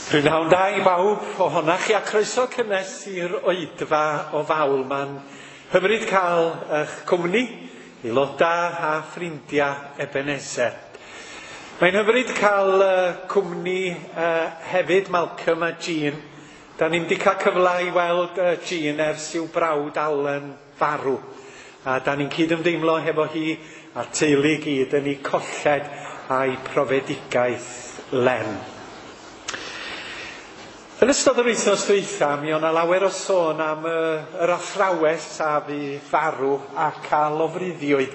Prynhawn da i bawb ohonoch chi a croeso cynnes i'r oedfa o fawl. Mae'n hyfryd cael eich cwmni, aelodau a ffrindiau Ebenezer. Mae'n hyfryd cael cwmni hefyd Malcolm a Jean. Da ni'n wedi cael cyfle i weld Jean ers i'w brawd Alan farw. A da ni'n cyd-ymdeimlo hefo hi a'r teulu i gyd yn ei colled a'i profedigaeth Len. Yn ystod yr wythnos dwytha, mi o'na lawer o sôn am yr athrawes a fu farw ac a lofruddiwyd.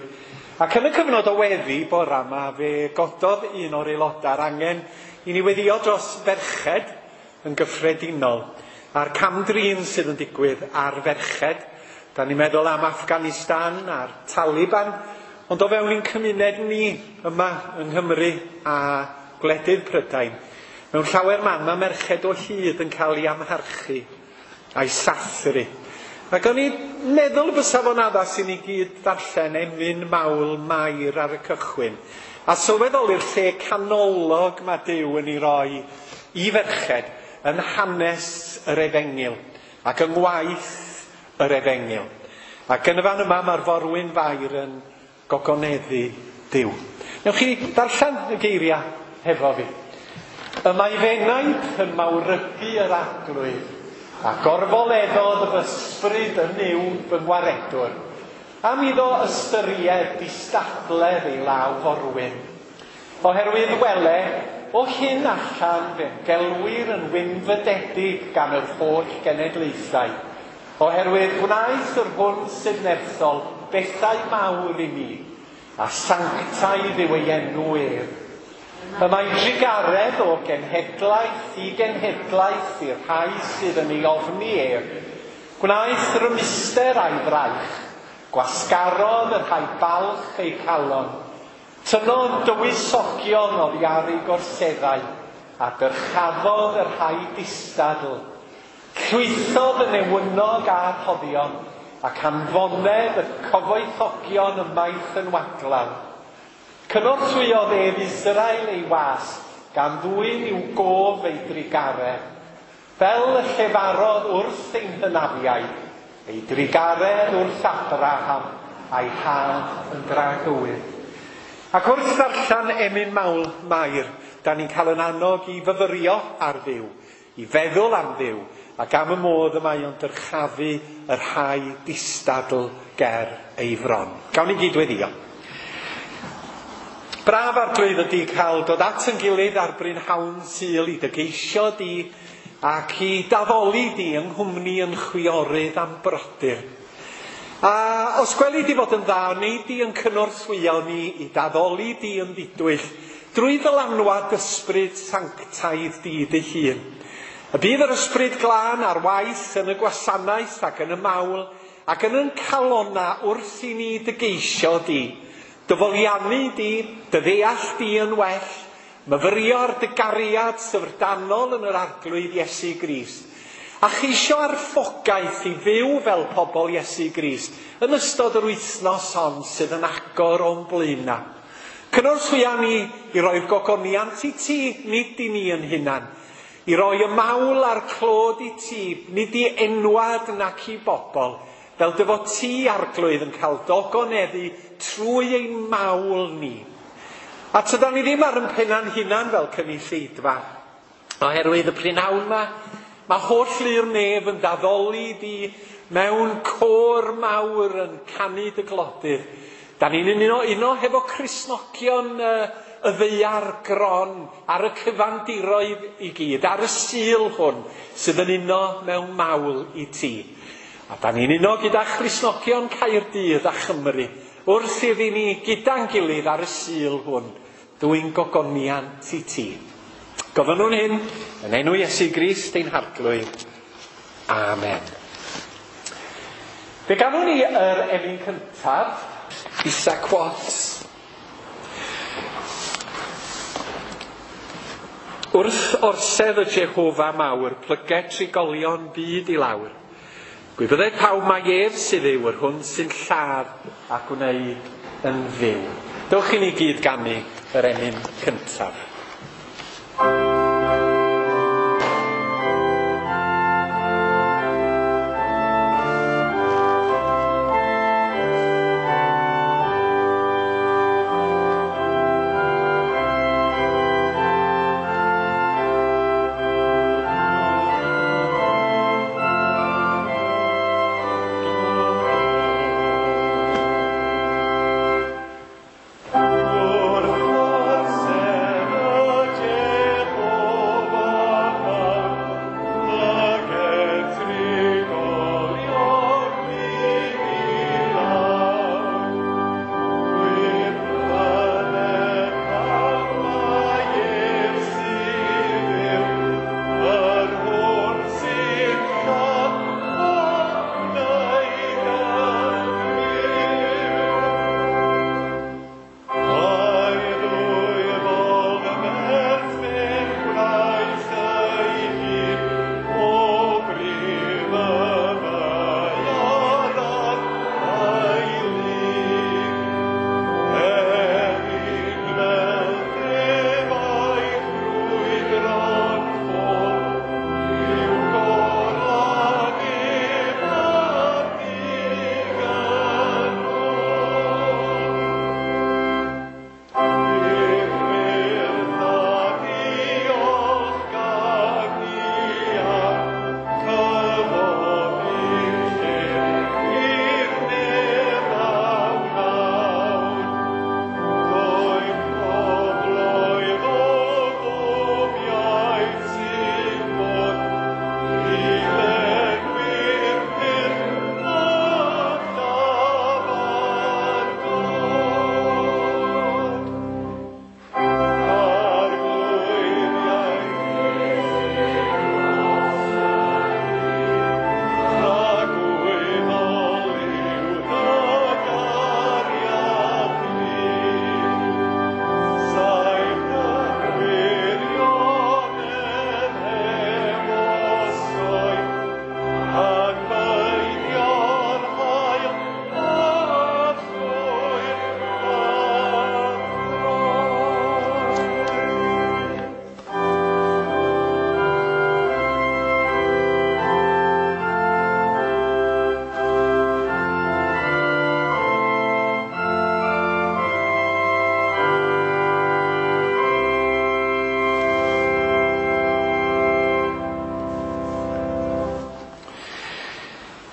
Ac yn y cyfnod o weddi bora yma, fe gododd un o'r aelodau'r angen i ni weddio dros ferched yn gyffredinol, a'r cam-drin sydd yn digwydd ar ferched. Da ni'n meddwl am Afghanistan a'r Taliban, ond o fewn ein cymuned ni yma yng Nghymru a gwledydd Prydain, mewn llawer man mae merched o hyd yn cael ei amharchu a'i sathru. Ac o'n i'n meddwl bysa fo'n addas i ni gyd ddarllen emyn mawl Mair ar y cychwyn, a sylweddoli'r lle canolog mae Duw yn ei roi i ferched yn hanes yr efengyl ac yng ngwaith yr efengyl. Ac yn y fan yma mae'r forwyn Fair yn gogoneddu Duw. Newch chi ddarllen y geiriau hefo fi. Y mae f'enaid yn mawrygu yr Arglwydd, a gorfoleddodd fy ysbryd yn Nuw fy ngwaredwr, am iddo ystyried distadledd ei law forwyn. Oherwydd wele, o hyn allan fe'm gelwir yn wynfydedig gan yr holl genedlaethau, oherwydd gwnaeth yr hwn sydd nerthol bethau mawr i mi, a sanctaidd yw ei enw ef. Y mae drugaredd o genhedlaeth i genhedlaeth i'r rhai sydd yn ei ofni ef. Gwnaeth rymuster a'i fraich, gwasgarodd y rhai balch eu calon, tynnodd dywysogion oddi ar eu gorseddau, a dyrchafodd y rhai distadl. Llwythodd y newynog a'r rhoddion, ac anfonedd y cyfoethogion ymaith yn waglaw. Cynorthwyodd ef Israel ei was, gan ddwyn i'w gof ei drugaredd. Fel y llefarodd wrth ein hynafiaid, ei drugaredd wrth Abraham a'i had yn dragywydd. Ac wrth ddarllen emyn mawl Mair, da ni'n cael yn annog i fyfyrio ar Dduw, i feddwl am Dduw, ac am y modd y mae o'n dyrchafu y rhai distadl ger ei fron. Gawn ni gyd weddio. Braf Arglwydd ydy cael dod at yn gilydd ar brynhawn Sul i dy geisio di ac i daddoli di yng nghwmni yn chwiorydd am brodyr. A os gweli di fod yn dda, wnei di yn cynorthwyo ni i daddoli di yn ddidwyll drwy ddylanwad ysbryd sanctaidd di dy hun. Y bydd yr ysbryd glân ar waith yn y gwasanaeth ac yn y mawl ac yn yn calona wrth i ni dy geisio di. Dy foliannu di, dy ddeall di yn well, myfyrio ar dy gariad syfrdanol yn yr Arglwydd Iesu Grist, a cheisio arfogaeth i fyw fel pobl Iesu Grist yn ystod yr wythnos hon sydd yn agor o'n blaenau. Cynorthwya ni i roi'r gogoniant i ti, nid i ni yn hunan, i roi y mawl a'r clod i ti, nid i enwad nac i bobl, fel dy fod ti, Arglwydd, yn cael dogoneddu trwy ein mawl ni. A tydan ni ddim ar yn penna'n hunan fel cynulleidfa, oherwydd y prynhawn yma, mae holl lu'r nef yn daddoli di mewn côr mawr yn canu dy glodydd. Da ni'n uno hefo Cristnogion y ddaear gron ar y cyfandiroedd i gyd, ar y Sul hwn sydd yn uno mewn mawl i ti. A da ni'n uno gyda Christnogion Caerdydd a Chymru wrth iddi ni gyda'n gilydd ar y Sul hwn, dwyn gogoniant i ti. Gofynnwn hyn yn enw Iesu Grist ein Harglwydd. Amen. Fe ganwn ni yr emyn cyntaf, Isaac Watts. Wrth orsedd y Jehofa mawr, plyge trigolion byd i lawr. Gwybydded pawb mai ef sydd yw yr hwn sy'n lladd a gwneud yn fyw. Dewch i ni gyd ganu yr emyn cyntaf.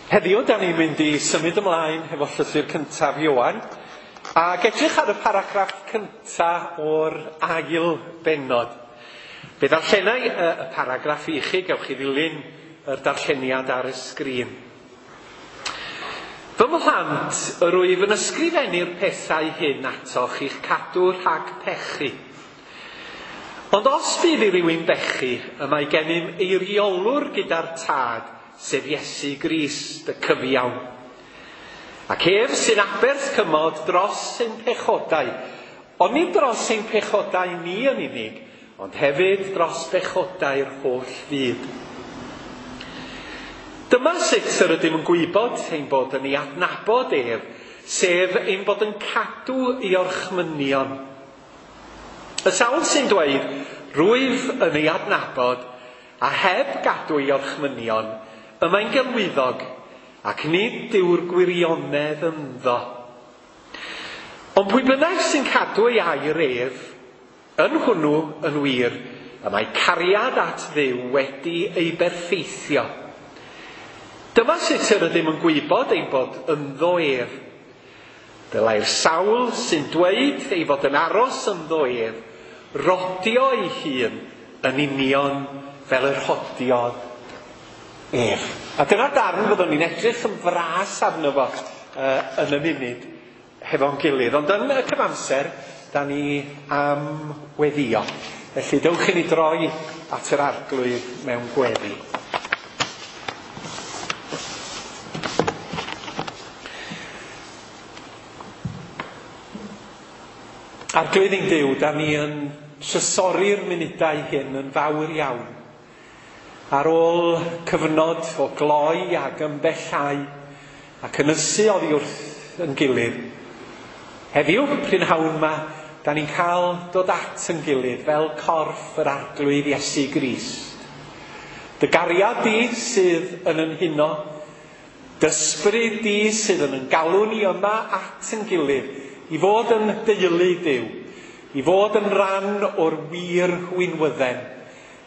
Heddiw, da ni'n mynd i symud ymlaen hefo llythyr cyntaf Ioan, ac edrych ar y paragraff cyntaf o'r ail bennod. Fe ddarllenai y paragraff i chi, gewch chi ddilyn yr darlleniad ar y sgrin. Fy mhlant, yr wyf yn ysgrifennu'r pethau hyn atoch i'ch cadw rhag pechu. Ond os bydd i rywun bechu, y mae gennym eiriolwr gyda'r Tad, sef Iesu Grist, y cyfiawn. Ac ef sy'n aberth cymod dros ein pechodau, ond nid dros ein pechodau ni yn unig, ond hefyd dros bechodau'r holl fyd. Dyma sut yr ydym yn gwybod ein bod yn ei adnabod ef, sef ein bod yn cadw ei orchmynion. Y sawl sy'n dweud, rwyf yn ei adnabod, a heb gadw ei orchmynion, y mae'n gelwyddog, ac nid yw'r gwirionedd ynddo. Ond pwy bynnag sy'n cadw ei air ef, yn hwnnw yn wir, y mae cariad at Dduw wedi ei berffeithio. Dyma sut yr ydym yn gwybod ein bod ynddo ef. Dylai'r sawl sy'n dweud ei fod yn aros ynddo ef, rodio ei hun yn union fel yr hodiodd ef. A dyna darn fyddwn ni'n edrych yn fras arno fo yn y munud hefo'n gilydd. Ond yn y cyfamser, da ni am weddio. Felly dewch i ni droi at yr Arglwydd mewn gweddi. Arglwydd ein Duw, da ni yn trysori'r munudau hyn yn fawr iawn. Ar ôl cyfnod o gloi ac ymbellhau ac ynysu oddi wrth yn gilydd, heddiw, prynhawn yma, da ni'n cael dod at yn gilydd fel corff yr Arglwydd Iesu Grist. Dy gariad di sydd yn yn huno, dy ysbryd di sydd yn yn galw ni yma at yn gilydd, i fod yn deulu Duw, i fod yn rhan o'r wir winwydden,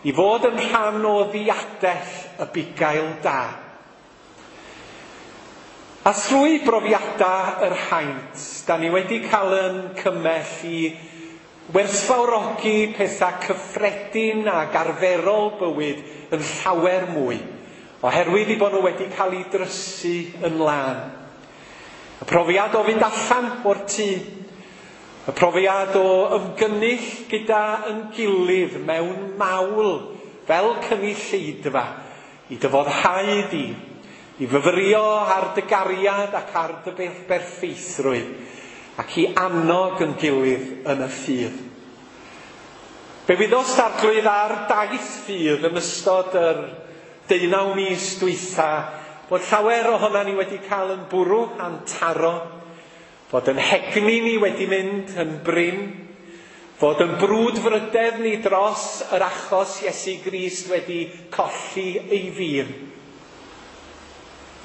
i fod yn rhan o ddiadell y bugail da. A thrwy brofiadau yr haint, da ni wedi cael yn cymell i werthfawrogi pethau cyffredin ac arferol bywyd yn llawer mwy, oherwydd i bod nhw wedi cael eu drysu yn lân. Y profiad o fynd allan o'r tŷ, y profiad o ymgynnull gyda yn gilydd mewn mawl fel cynulleidfa, i dy foddhau di, i fyfyrio ar dy gariad ac ar dy berffeithrwydd, ac i annog yn gilydd yn y ffydd. Fe wyddost Arglwydd ar daith ffydd yn ystod yr 19 mis dwytha, bod llawer ohonan ni wedi cael yn bwrw a'n taro, fod yn hegni ni wedi mynd yn brin, fod yn brwdfrydedd ni dros yr achos Iesu Grist wedi colli ei fir.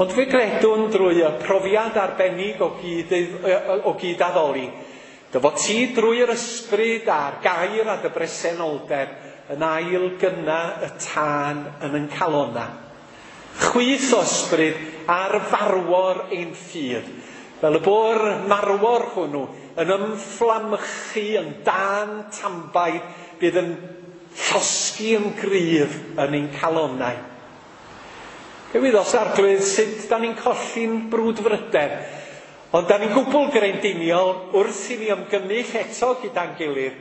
Ond fe gredwn drwy y profiad arbennig o gydaddoli, dy fod ti drwy'r ysbryd a'r gair a dy bresenoldeb yn ail gynna y tân yn yn calona. Chwyth o ysbryd ar farwor ein ffydd, fel y bo'r marwor hwnnw yn ymfflamychu yn dan tambaid bydd yn llosgi yn gryf yn ein calonau. Fe wyddos Arglwydd sut da ni'n colli'n brwdfrydedd, ond da ni'n gwbl greindiniol wrth i ni ymgynnull eto gyda'n gilydd,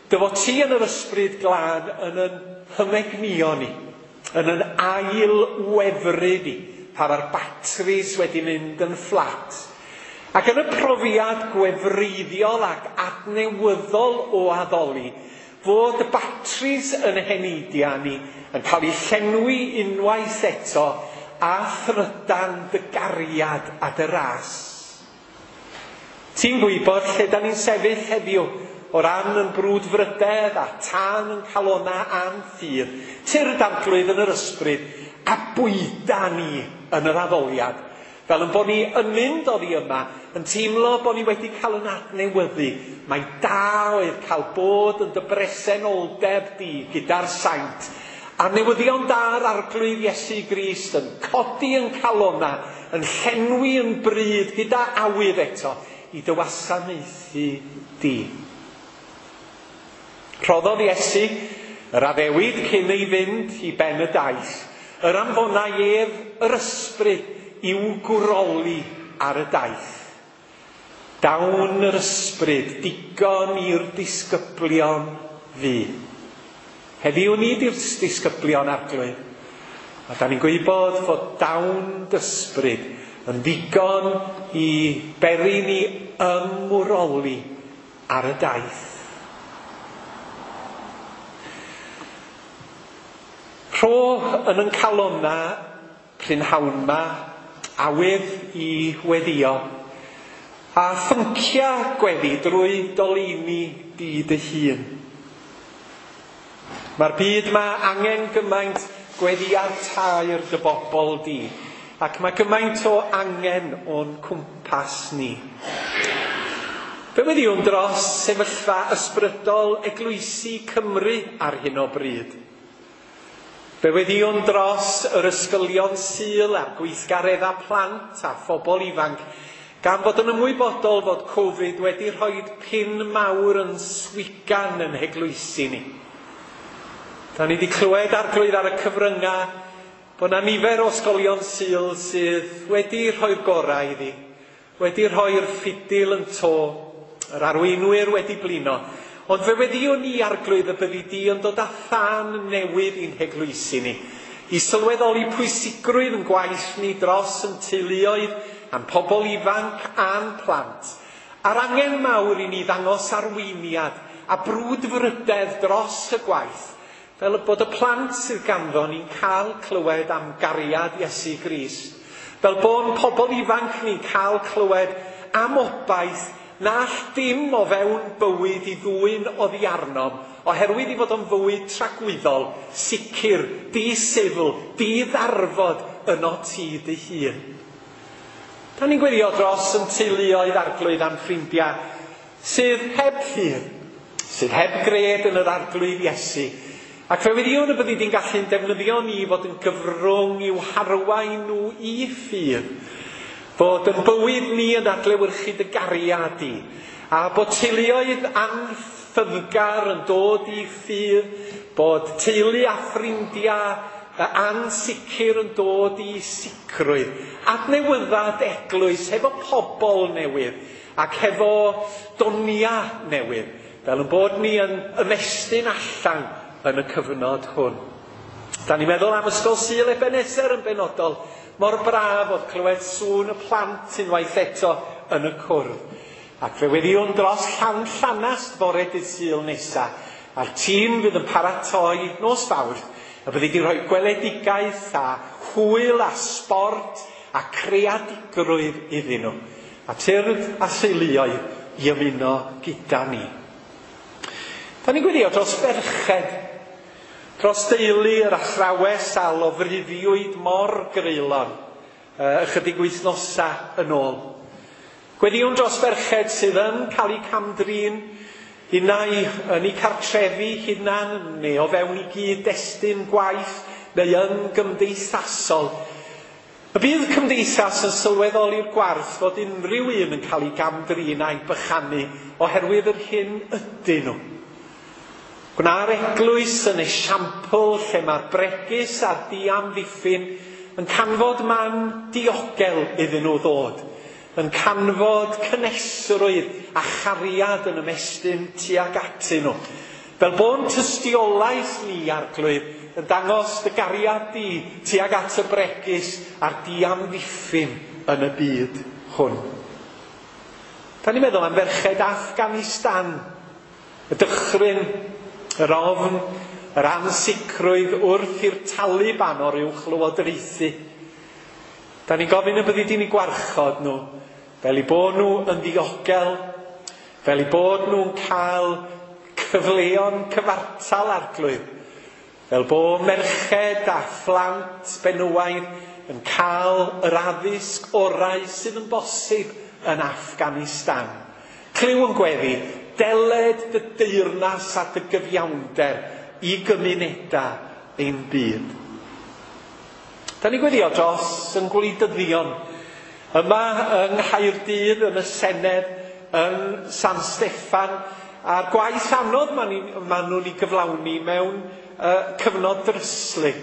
dy fod ti yn yr ysbryd glân yn yn hymegnio ni, yn yn ail wefru ni, pan mae'r batris wedi mynd yn fflat. Ac yn y profiad gwefreiddiol ac adnewyddol o addoli, fod y batris yn heneidiau ni yn cael eu llenwi unwaith eto a thrydan dy gariad a dy ras. Ti'n gwybod lle da ni'n sefyll heddiw o ran yn brwdfrydedd a tân yn calona a'n ffydd, tyrd Arglwydd yn yr ysbryd a bwyda ni yn yr addoliad, fel yn bod ni yn mynd oddi yma, yn teimlo bod ni wedi cael yn adnewyddu. Mae da oedd cael bod yn dy bresenoldeb di gyda'r saint A newyddion da'r Arglwydd Iesu Grist yn codi yn calona, yn llenwi yn bryd gyda awydd eto i dy wasanaethu di. Rhoddodd Iesu yr addewid cyn ei fynd i ben y daith, yr anfonai ef yr ysbryd i'w gwroli ar y daith. Dawn yr ysbryd digon i'r disgyblion fu. Heddiw ni di'r disgyblion Arglwydd. A da ni'n gwybod fod dawn dysbryd yn ddigon i beri ni ymwroli ar y daith. Rho yn yn calonna prynhawn ma awydd i weddio a phyncia gweddi drwy dolini di dy hun. Mae'r byd ma angen gymaint gweddi tair dy bobl di, ac mae gymaint o angen o'n cwmpas ni. Fe weddiwn dros sefyllfa ysbrydol eglwysi Cymru ar hyn o bryd. Fe weddiwn dros yr ysgolion Sul a'r gweithgareddau plant a phobl ifanc, gan fod yn ymwybodol fod Covid wedi rhoi pin mawr yn swigan yn heglwysi ni. Da ni wedi clywed Arglwydd ar y cyfryngau bod yna nifer o ysgolion Sul sydd wedi rhoi'r gorau iddi, wedi rhoi'r ffidil yn to, yr arweinwyr wedi blino. Ond fe weddiwn ni, Arglwydd, y byddi di yn dod â thân newydd i'n heglwysi ni, i sylweddoli pwysigrwydd yn gwaith ni dros yn teuluoedd, a'n pobl ifanc a'n plant, a'r angen mawr i ni ddangos arweiniad a brwdfrydedd dros y gwaith, fel bod y plant sydd ganddo ni'n cael clywed am gariad Iesu Grist, fel bod pobl ifanc ni'n cael clywed am obaith na all dim o fewn bywyd i ddwyn oddi arnom, oherwydd i fod o'n fywyd tragwyddol, sicr, di-sifl, di-ddarfod yno ti dy hun. Da ni'n gweddio dros yn teuluoedd Arglwydd a'n ffrindiau sydd heb ffydd, sydd heb gred yn yr Arglwydd Iesu. Ac fe weddiwn y byddi di'n gallu'n defnyddio ni fod yn gyfrwng i'w harwain nhw i ffydd. Fod yn bywyd ni yn adlewyrchu dy gariad di. A bod teuluoedd anffyddgar yn dod i ffydd, bod teulu a ffrindiau ansicr yn dod i sicrwydd. Adnewyddad eglwys hefo pobl newydd ac hefo donia newydd, fel yn bod ni yn ymestyn allan yn y cyfnod hwn. Da ni'n meddwl am Ysgol Sul Ebenezer yn benodol. Mor braf oedd clywed sŵn y plant unwaith eto yn y cwrdd. Ac fe weddiwn dros Llanllanast bore dydd Sul nesa, a'r tîm fydd yn paratoi nos Fawrth, a byddi di rhoi gweledigaeth a hwyl a sbort a creadigrwydd iddyn nhw. A tyrd a theuluoedd i ymuno gyda ni. Da ni'n gweddio dros ferched, dros deulu yr athrawes a lofruddiwyd mor greulon ychydig wythnosau yn ôl. Gweddiwn dros ferched sydd yn cael eu camdrin, unai yn eu cartrefi hunan, neu o fewn i gyd-destun gwaith, neu yn gymdeithasol. Y bydd cymdeithas yn sylweddoli'r gwarth fod unrhyw un yn cael ei gamdrin a'i bychanu oherwydd yr hyn ydyn nhw. Gwna'r eglwys yn esiampl lle mae'r bregus a'r diamddiffyn yn canfod man diogel iddyn nhw ddod, yn canfod cynhesrwydd a chariad yn ymestyn tuag atyn nhw. Fel bo'n tystiolaeth ni, Arglwydd, yn dangos dy gariad di tuag at y bregus a'r diamddiffyn yn y byd hwn. Da ni'n meddwl am ferched Afghanistan, y dychryn, yr ofn, yr ansicrwydd wrth i'r Taliban o'r uwch lywodraethu. Da ni'n gofyn y byddi di'n eu gwarchod nhw, fel eu bod nhw yn ddiogel, fel eu bod nhw'n cael cyfleon cyfartal, Arglwydd, fel bod merched a phlant benywaidd yn cael yr addysg orau sydd yn bosib yn Afghanistan. Clyw yn gweddi, deled dy deyrnas a dy gyfiawnder i gymunedau ein byd. Da ni'n gweddio dros yn gwleidyddion yma yng Nghaerdydd, yn y Senedd, yn San Steffan, a'r gwaith anodd maen nhw'n ei gyflawni mewn cyfnod dryslyd.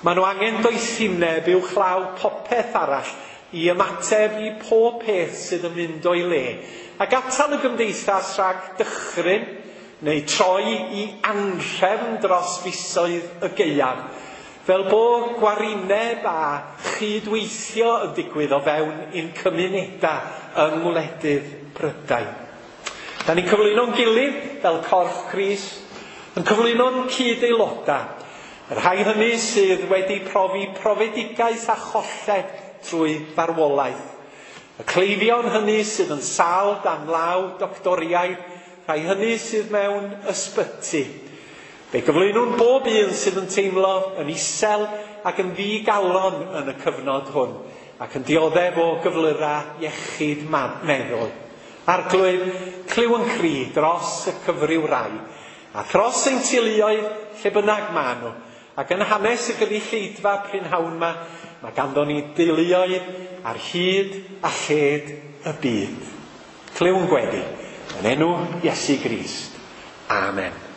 Maen nhw angen doethineb uwchlaw popeth arall i ymateb i pob peth sydd yn mynd o'i le, ac atal y gymdeithas rhag dychryn neu troi i anrhefn dros fisoedd y gaeaf, fel bo gwarineb a chydweithio yn digwydd o fewn ein cymunedau yng ngwledydd Prydain. Da ni'n cyflwyno'n gilydd fel corff Crist, yn cyflwyno'n cyd-aelodau, y rhai hynny sydd wedi profi profedigaeth a cholled trwy farwolaeth. Y cleifion hynny sydd yn sâl dan law doctoriaid, rhai hynny sydd mewn ysbyty. Fe gyflwynwn bob un sydd yn teimlo yn isel ac yn ddigalon yn y cyfnod hwn, ac yn dioddef o gyflyrau iechyd meddwl. Arglwydd, clyw yn cri dros y cyfryw rai, a thros ein teuluoedd lle bynnag maen nhw. Ac yn hanes y gynulleidfa prynhawn yma, mae ganddo ni deuluoedd ar hyd a lled y byd. Clyw yn gweddi, yn enw Iesu Grist. Amen.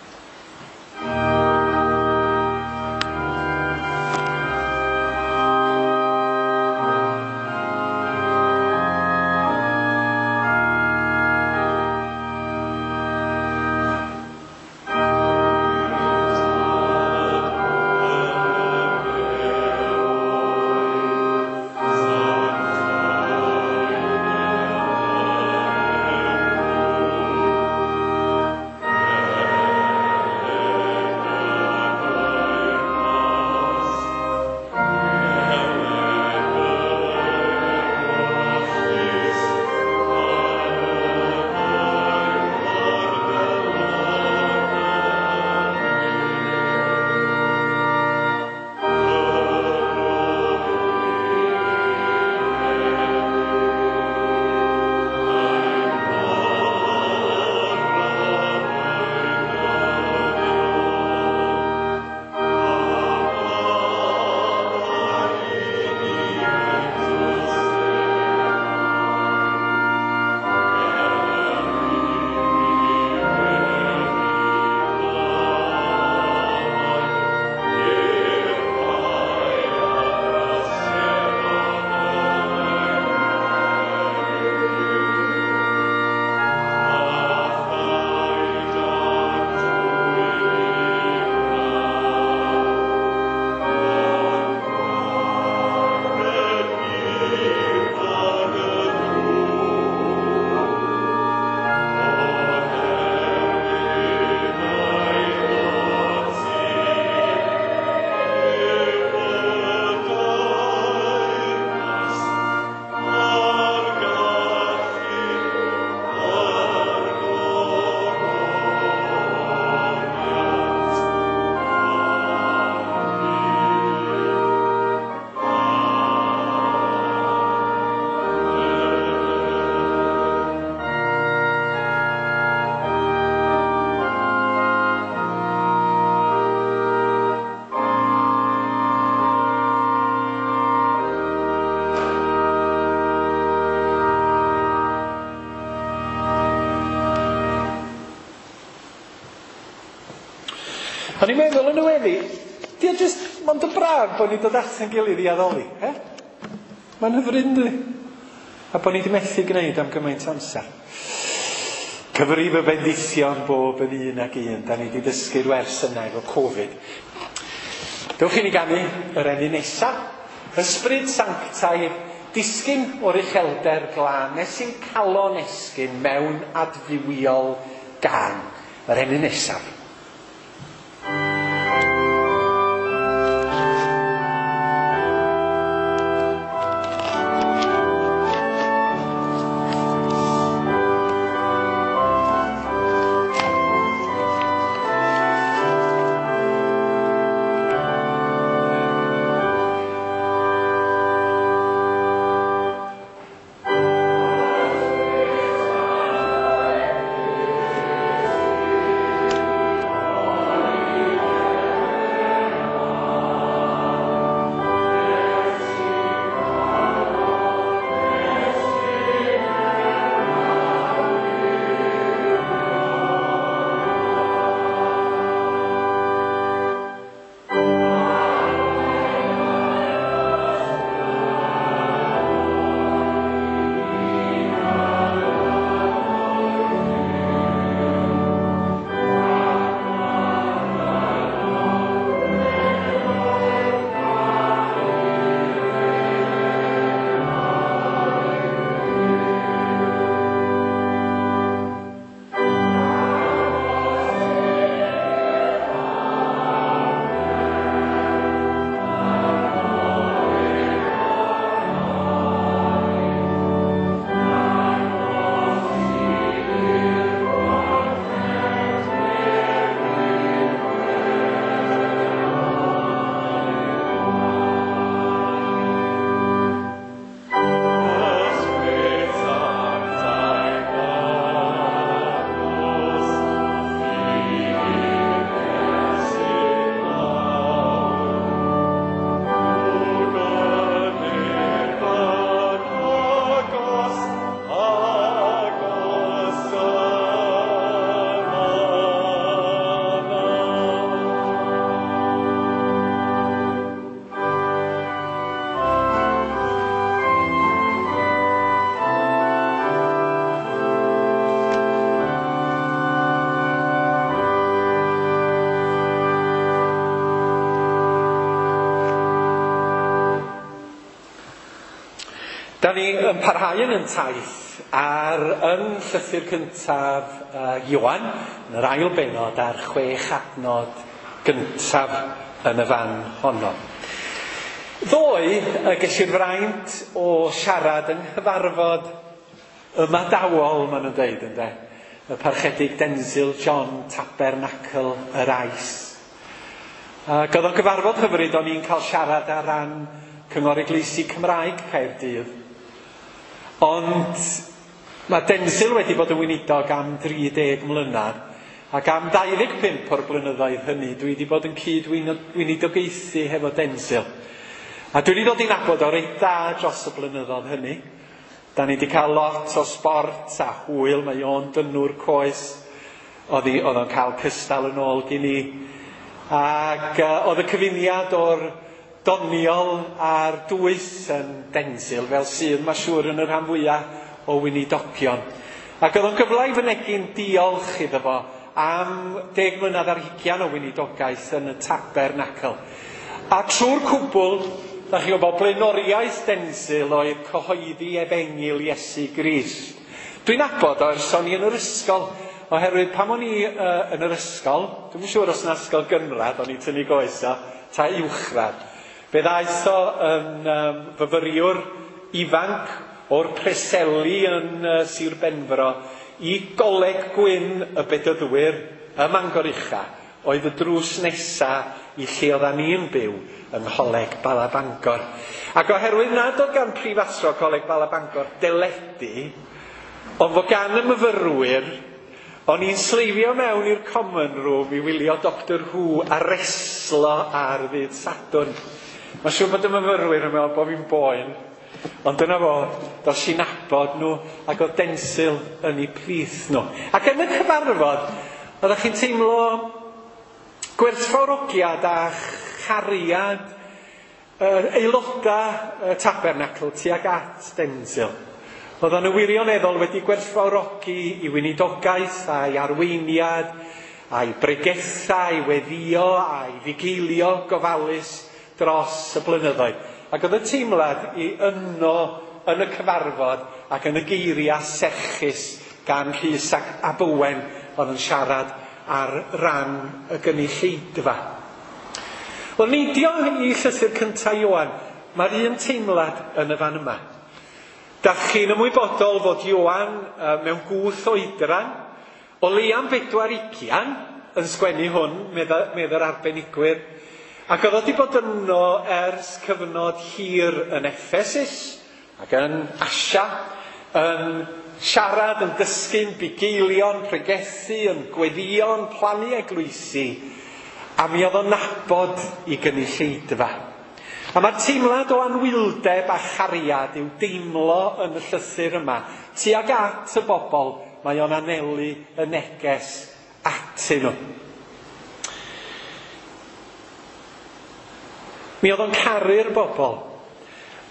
O'n i'n meddwl yn y weddi, di o jyst mond yn braf bod ni'n dod at ein gilydd i addoli, eh? Mae'n hyfryd, yndi? A bod ni wedi methu gwneud am gymaint amser. Cyfrif y bendithion bob yn un ag un. Da ni wedi dysgu'r wers yna efo Covid. Dewch i ni ganu yr emyn nesaf. Ysbryd sanctaidd, disgyn o'r uchelder glân, nes i'n calon esgyn mewn adfywiol gân. Yr emyn nesaf. Da ni yn parhau yn ein taith ar yn llythyr cyntaf Ioan, yn yr ail bennod a'r 6 adnod gyntaf yn y fan honno. Ddoe, ges i'r fraint o siarad yng nghyfarfod ymadawol, maen nhw'n dweud, ynde, y parchedig Denzil John Tabernacl yr Ais. Ac oedd o'n gyfarfod hyfryd, o'n i'n cael siarad ar ran Cyngor Eglwysi Cymraeg Caerdydd. Ond mae Denzil wedi bod yn weinidog am 30 mlynedd, ac am 25 o'r blynyddoedd hynny dwi wedi bod yn cyd-weinidogaethu hefo Denzil. A dwi wedi dod i nabod o reit dda dros y blynyddoedd hynny. Da ni wedi cael lot o sbort a hwyl, mae o'n dynnwr coes, oedd o'n cael cystal yn ôl gyn i. Ac oedd y cyfuniad o'r doniol a'r dwys yn Denzil, fel sydd mae'n siŵr yn y rhan fwyaf o weinidogion. Ac oedd o'n gyfle i fynegi'n diolch iddo fo am 10 mlynedd ar hugain o weinidogaeth yn y Tabernacl. A trwy'r cwbl, da chi'n gwybod, blaenoriaeth Denzil oedd cyhoeddi efengyl Iesu Grist. Dwi'n nabod o ers o'n i yn yr ysgol, oherwydd pan o'n i yn yr ysgol, dwi'm yn siŵr os yna ysgol gynradd, o'n i tynnu goes o, ta uwchradd. Fe ddaeth o yn fyfyriwr ifanc o'r Preseli yn Sir Benfro i Goleg Gwyn y Bedyddwyr ym Mangor Ucha, oedd y drws nesa i lle oeddan ni'n byw yng Ngholeg Bala Bangor. Ac oherwydd nad oedd gan prifathro Coleg Bala Bangor deledu, ond fod gan y myfyrwyr, o'n i'n sleifio mewn i'r common room i wylio Doctor Who a reslo ar ddydd Sadwrn. Mae'n siŵr bod y myfyrwyr yn meddwl bod fi'n boen, ond dyna fo, dos i nabod nhw ac oedd Denzil yn eu plith nhw. Ac yn y cyfarfod, oeddech chi'n teimlo gwerthfawrogiad a chariad aelodau y Tabernacl tuag at Denzil. Oedden nhw wirioneddol wedi gwerthfawrogi i weinidogaeth a'i arweiniad, a'i bregethau, a'i weddïo, a'i fugeilio gofalus dros y blynyddoedd. Ac oedd y teimlad i yno yn y cyfarfod ac yn y geiriau serchus gan Rhys ac Ab Owen oedd yn siarad ar ran y gynulleidfa. Wel, neidio i llythyr cyntaf Ioan, mae'r un teimlad yn y fan yma. Dach chi'n ymwybodol fod Ioan mewn gwth oedran, o leia'n 40 yn sgwennu hwn, medda'r arbenigwyr, ac oedd o wedi bod yno ers cyfnod hir yn Ephesus ac yn Asia, yn siarad, yn dysgu'n bugeilio'n pregethu, yn gweddïo'n plannu eglwysi, a mi oedd o'n nabod i gynulleidfa. A mae'r teimlad o anwyldeb a chariad i'w deimlo yn y llythyr yma. Tuag at y bobl, mae o'n anelu y neges atyn nhw. Mi oedd o'n caru'r bobl.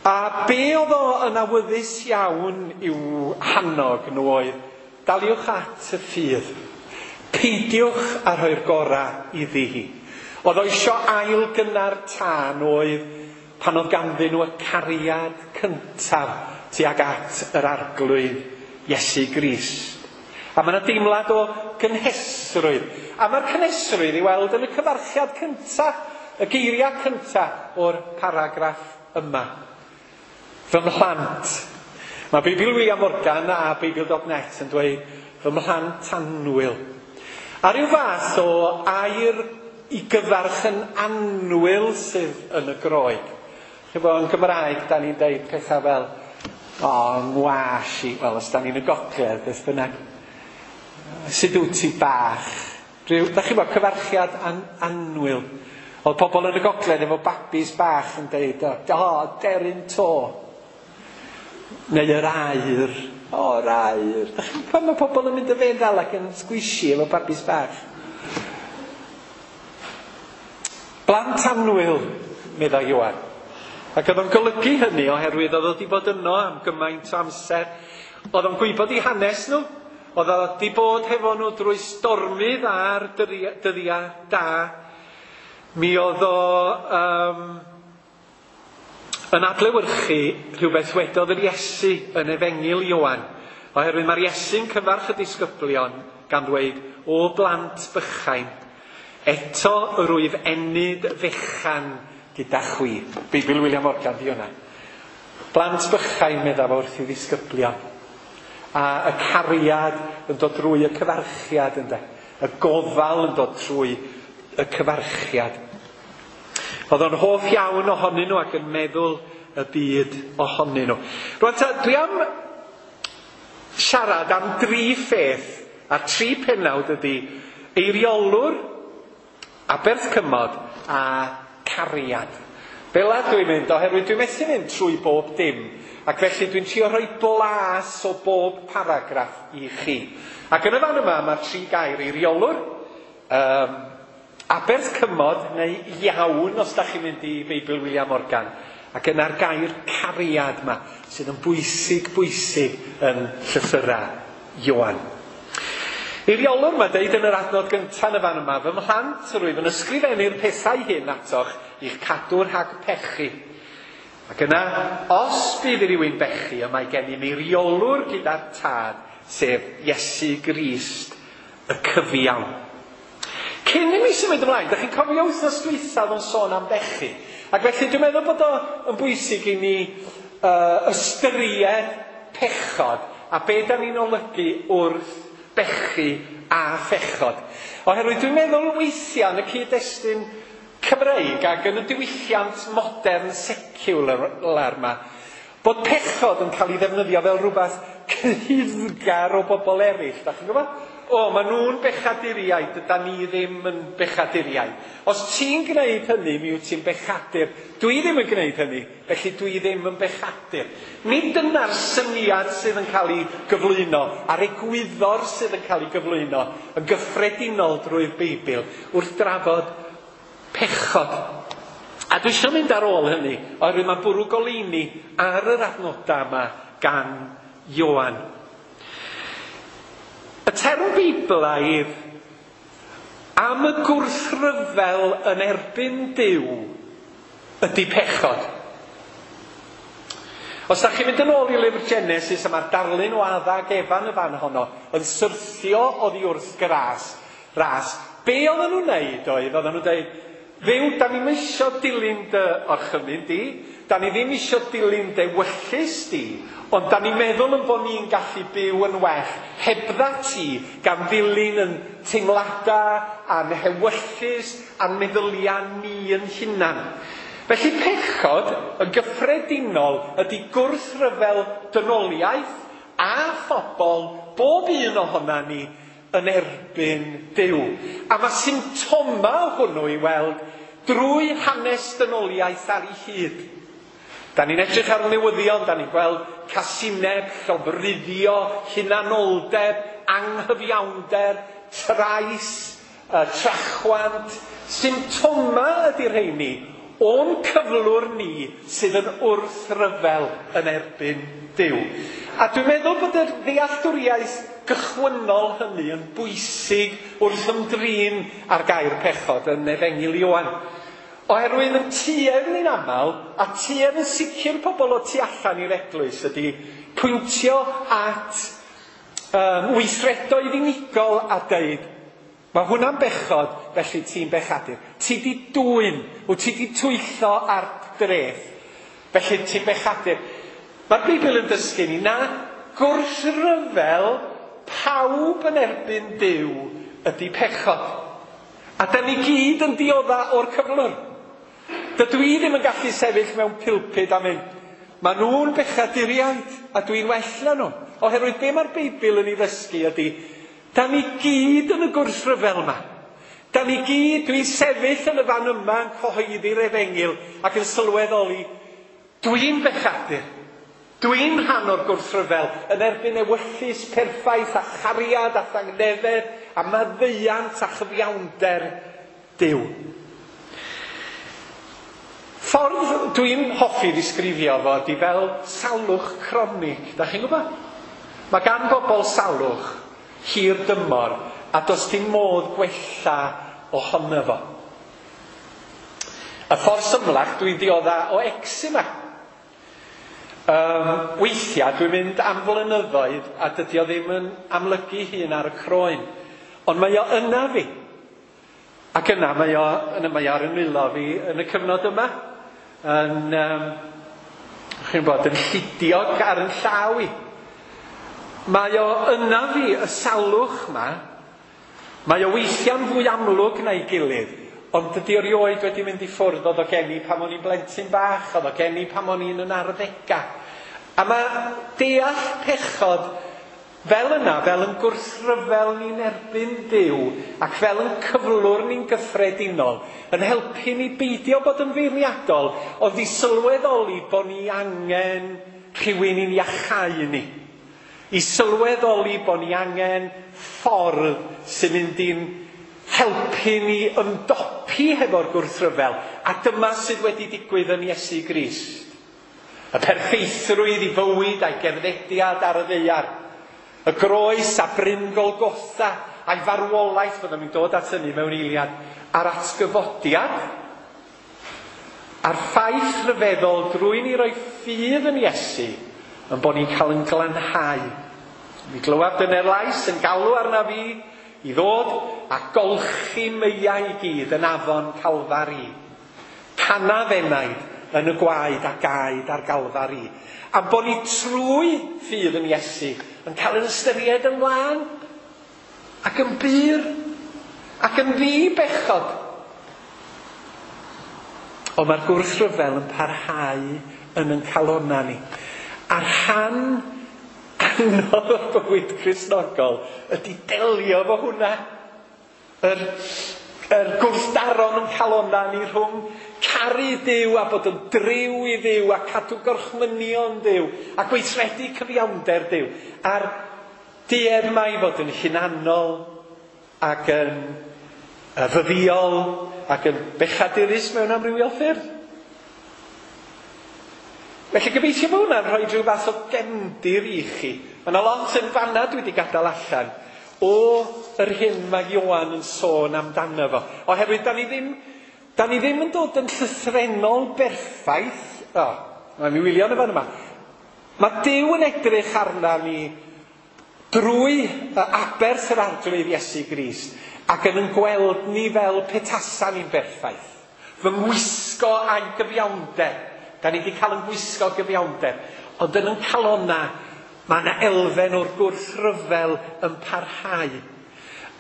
A be oedd o yn awyddus iawn i'w hannog nhw oedd, daliwch at y ffydd. Peidiwch â rhoi'r gorau iddi hi. Oedd o isio ail gynnar tân oedd pan oedd ganddyn nhw y cariad cyntaf tuag at yr Arglwydd Iesu Grist. A mae yna deimlad o gynhesrwydd. A mae'r cynhesrwydd i weld yn y cyfarchiad cyntaf, y geiriau cyntaf o'r paragraff yma. Fy mhlant. Mae Beibl William Morgan a Beibl.net yn dweud fy mhlant annwyl. A ryw fath o air i gyfarch yn annwyl sydd yn y Groeg. Chyfo, yn Gymraeg, da ni'n deud pethau fel, o, ngwas i, wel, os da ni'n y gogledd, beth bynnag. Sut wyt ti bach? Rhyw, da chi'n bod, cyfarchiad annwyl. Oedd pobl yn y gogledd efo babis bach yn deud, o, deryn to. Neu yr aur. O, yr aur. Da chi'n pan mae pobl yn mynd y feddal ac yn sgwisio efo babis bach. Blant annwyl, meddai Ioan. Ac oedd o'n golygu hynny oherwydd oedd o wedi bod yno am gymaint o amser. Oedd o'n gwybod eu hanes nhw. Oedd o wedi bod hefo nhw drwy stormydd a'r dyddiau da. Mi oedd o yn adlewyrchu rhywbeth wedodd yr Iesu yn Efengyl Ioan, oherwydd mae'r Iesu'n cyfarch y disgyblion gan ddweud, "O blant bychain, eto yr wyf ennyd fechan gyda chwi." Beibl William Morgan di hwnna. Blant bychain, medda fo wrth i ddisgyblion. A y cariad yn dod drwy y cyfarchiad, ynde. Y gofal yn dod trwy y cyfarchiad. Oedd o'n hoff iawn ohonyn nhw ac yn meddwl y byd ohonyn nhw. Rwan ta, dwi am siarad am dri pheth, a tri pennawd ydy eiriolwr, aberth cymod a cariad. Fela dwi'n mynd, oherwydd dwi'n methu mynd trwy bob dim, ac felly dwi'n trio rhoi blas o bob paragraff i chi. Ac yn y fan yma mae'r tri gair eiriolwr, aberth cymod, neu iawn os da chi'n mynd i Beibl William Morgan, ac yna'r gair cariad yma, sydd yn bwysig bwysig yn llythyrau Ioan. Eiriolwr mae deud yn yr adnod gyntaf yn y fan yma, "Fy mhlant, rwyf yn ysgrifennu'r pethau hyn atoch i'ch cadw rhag pechu. Ac yna, os bydd rhywun bechu, y mae gennym eiriolwr gyda'r Tad, sef Iesu Grist, y cyfiawn." Cyn i mi symud ymlaen, da chi'n cofio wythnos dwythaf o'n sôn am bechu. Ac felly dwi'n meddwl bod o yn bwysig i ni ystyried pechod a be da ni'n olygu wrth bechu a phechod. Oherwydd dwi'n meddwl weithiau yn y cyd-destun Cymreig ac yn y diwylliant modern secular yma, bod pechod yn cael ei ddefnyddio fel rhywbeth cyhuddgar o bobl eraill. Da chi'n gwybod? O, maen nhw'n bechaduriaid, dyda ni ddim yn bechaduriaid. Os ti'n gwneud hynny, mi wyt ti'n bechadur. Dwi ddim yn gwneud hynny, felly dwi ddim yn bechadur. Nid dyna'r syniad sydd yn cael ei gyflwyno, a'r egwyddor sydd yn cael ei gyflwyno yn gyffredinol drwy'r Beibl wrth drafod pechod. A dwi eisiau mynd ar ôl hynny, oherwydd mae'n bwrw goleuni ar yr adnodau yma gan Ioan. Y term Beiblaidd am y gwrthryfel yn erbyn Duw ydy pechod. Os da chi'n mynd yn ôl i lyfr Genesis, a mae'r darlun o Adda ac Efa yn y fan honno yn syrthio oddi wrth gras, ras, be oedden nhw'n neud oedd, oedden nhw'n deud, "Dduw, da ni'm isio dilyn dy orchymyn di, da ni ddim isio dilyn dy ewyllys di, ond da ni'n meddwl yn bod ni'n gallu byw yn well hebdda ti, gan ddilyn yn teimladau a'n hewyllys a'n meddyliau ni yn hunan." Felly pechod yn gyffredinol ydy gwrthryfel dynoliaeth a phobl, bob un ohona ni, yn erbyn Duw. A mae symptomau hwnnw i weld drwy hanes dynoliaeth ar ei hyd. Da ni'n edrych ar newyddion, da ni'n gweld casineb, llofruddio, hunanoldeb, anghyfiawnder, trais, trachwant. Symptomau ydy'r rheini o'n cyflwr ni sydd yn wrthryfel yn erbyn Duw. A dwi'n meddwl bod y ddealltwriaeth gychwynnol hynny yn bwysig wrth ymdrin â'r gair pechod yn Efengyl Ioan. Oherwydd yn tuedd ni'n aml, a tuedd yn sicr pobl o tu allan i'r eglwys ydy pwyntio at weithredoedd unigol a deud, mae hwnna'n bechod, felly ti'n bechadur. Ti di dwyn, wyt ti di twyllo ar dreth, felly ti'n bechadur. Mae'r Beibl yn dysgu ni na gwrthryfel pawb yn erbyn Duw ydy pechod. A da ni gyd yn diodda o'r cyflwr. Dydw i ddim yn gallu sefyll mewn pulpud a mynd, "Maen nhw'n bechaduriaid a dwi'n well na nhw." Oherwydd be mae'r Beibl yn ei ddysgu ydy, da ni gyd yn y gwrthryfel yma. Da ni gyd, dwi'n sefyll yn y fan yma yn cyhoeddi'r efengyl ac yn sylweddoli, dwi'n bechadur. Dwi'n rhan o'r gwrthryfel yn erbyn ewyllys perffaith a chariad a thangnefedd a maddeuant a chyfiawnder Duw. Ffordd dwi'n hoffi ddisgrifio fo ydy fel salwch cronig. Da chi'n gwybod? Mae gan bobl salwch hir dymor a does dim modd gwella ohono fo. Y ffordd symlach, dwi'n diodda o eczema. Weithiau dwi'n mynd am flynyddoedd a dydy o ddim yn amlygu hun ar y croen. Ond mae o yna fi. Ac yna mae o, yna mae o ar y nwylo fi yn y cyfnod yma. Yn, chi'n bod, yn llidiog ar yn llaw i. Mae o yna fi, y salwch yma. Mae o weithiau'n fwy amlwg na'i gilydd. Ond dydy o rioed wedi mynd i ffwrdd. Oedd o gen i pan o'n i'n blentyn bach, oedd o gen i pan o'n i'n yn arddegau. A mae deall pechod fel yna, fel yn gwrthryfel ni'n erbyn Duw, ac fel yn cyflwr ni'n gyffredinol, yn helpu ni beidio bod yn feirniadol, ond i sylweddoli bod ni angen rhywun i'n iachau ni. I sylweddoli bod ni angen ffordd sy'n mynd i'n helpu ni ymdopi hefo'r gwrthryfel. A dyma sydd wedi digwydd yn Iesu Grist. Y perffeithrwydd i fywyd a'i gerddediad ar y ddaear. Y groes a Bryn Golgotha a'i farwolaeth, fyddwn ni'n dod at hynny mewn eiliad, a'r atgyfodiad, a'r ffaith rhyfeddol drwy ni roi ffydd yn Iesu, yn bod ni'n cael yn glanhau. Mi glywaf dyne'r lais yn galw arna fi i ddod a golchi meiau i gyd yn afon Calfari. Canaf enaid yn y gwaed a gaed ar Galfari. A bod ni trwy ffydd yn Iesu yn cael yn ystyried yn lân ac yn bur ac yn ddi-bechod. Ond mae'r gwrthryfel yn parhau yn ein calonnau ni. A rhan anodd o'r bywyd Cristnogol ydy delio efo hwnna. Yr gwrthdaron yn calonnau ni rhwng caru Duw a bod yn driw i Dduw a cadw gorchmynion Duw a gweithredu cyfiawnder Duw. A'r duedd mai fod yn hunanol ac yn fyddiol ac yn bechadurus mewn amrywiol ffyrdd. Felly gobeithio bod hwnna'n rhoi rhyw fath o gefndir i chi. Mae yna lot yn fanna dwi wedi gadael allan o yr hyn mae Ioan yn sôn amdano fo. Oherwydd da ni ddim yn dod yn llythrennol berffaith. O, mae'n mi wylio yn y fan yma. Mae Duw yn edrych arna ni drwy aberth yr Arglwydd Iesu Grist ac yn gweld ni fel petasa ni'n berffaith. Fy ngwisgo a'i gyfiawnder. Da ni wedi cael yn gwisgo gyfiawnder. Ond yn yn calonna, mae yna elfen o'r gwrthryfel yn parhau.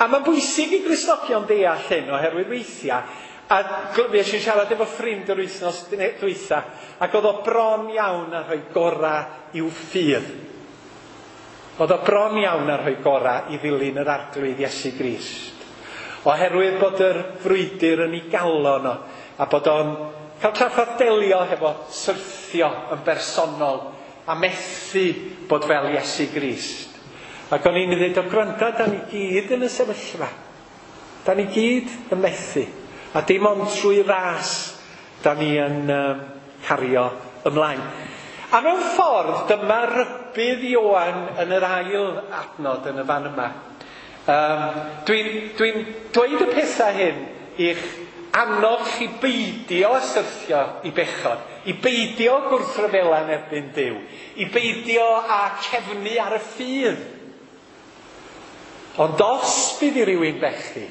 A mae'n bwysig i Gristnogion deall hyn oherwydd weithiau, a fues i'n siarad efo ffrind yr wythnos dwytha, ac oedd o bron iawn ar rhoi gorau i'w ffydd. Oedd o bron iawn ar rhoi gorau i ddilyn yr Arglwydd Iesu Grist. Oherwydd bod yr frwydr yn ei galon o, a bod o'n cael trafferth delio hefo syrthio yn bersonol a methu bod fel Iesu Grist. Ac o'n i'n dweud, o gwrando, da ni gyd yn y sefyllfa. Da ni gyd yn methu. A dim ond trwy ras da ni yn cario ymlaen. A mewn ffordd, dyma rybudd Ioan yn yr ail adnod yn y fan yma. Dwi'n dweud y pethau hyn i'ch annog chi beidio â syrthio i bechod, i beidio gwrthryfela yn erbyn Duw, i beidio â cefnu ar y ffydd. Ond os bydd i rywun bechu,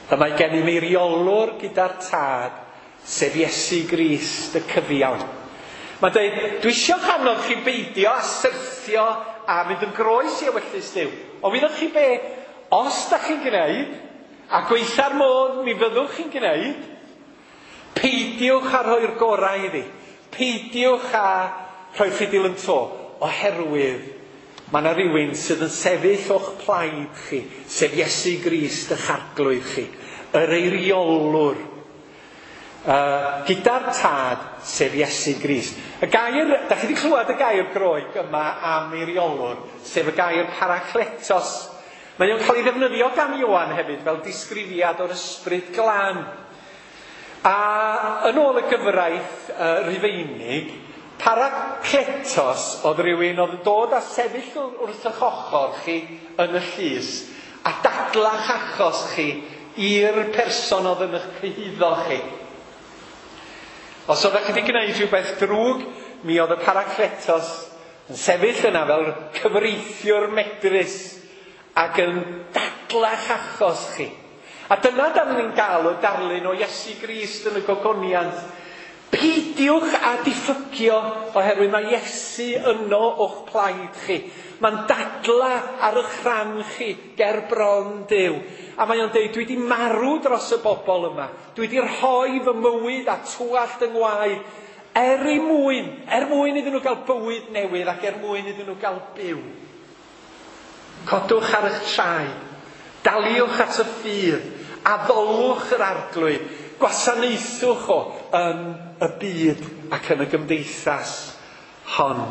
y mae gennym eiriolwr gyda'r Tad, sef Iesu Grist y cyfiawn. Mae'n dweud, dwi eisiau annog chi beidio â syrthio a mynd yn groes i ewyllys Duw. Ond wyddoch chi be, os da chi'n gwneud, a gweitha'r modd mi fyddwch chi'n gwneud, peidiwch â rhoi'r gorau iddi. Peidiwch â rhoi'r ffidil yn to, oherwydd mae yna rhywun sydd yn sefyll o'ch plaid chi, sef Iesu Grist eich Arglwydd chi, yr eiriolwr, gyda'r Tad, sef Iesu Grist. Y gair, da chi wedi clywed y gair Groeg yma am eiriolwr, sef y gair parakletos. Mae o'n cael ei ddefnyddio gan Ioan hefyd fel disgrifiad o'r ysbryd glân. A yn ôl y gyfraith Rufeinig, parakletos oedd rhywun oedd yn dod a sefyll wrth eich ochr chi yn y llys a dadla'ch achos chi i'r person oedd yn eich cyhuddo chi. Os oeddech chi wedi gwneud rhywbeth drwg, mi oedd y Paracletos yn sefyll yna fel cyfreithiwr medrus ac yn dadlach achos chi. A dyna dan ni'n gael o darlun o Iesu Grist yn y gogoniant. Peidiwch â diffygio oherwydd mae Iesu yno o'ch plaid chi. Mae'n dadla ar eich rhan chi ger bron Duw. A mae o'n deud, dwi wedi marw dros y bobl yma. Dwi wedi rhoi fy mywyd a twallt yng ngwaed er mwyn iddyn nhw gael bywyd newydd ac er mwyn iddyn nhw gael byw. Codwch ar eich traed, daliwch at y ffydd, addolwch yr Arglwydd, gwasanaethwch o yn y byd ac yn y gymdeithas hon.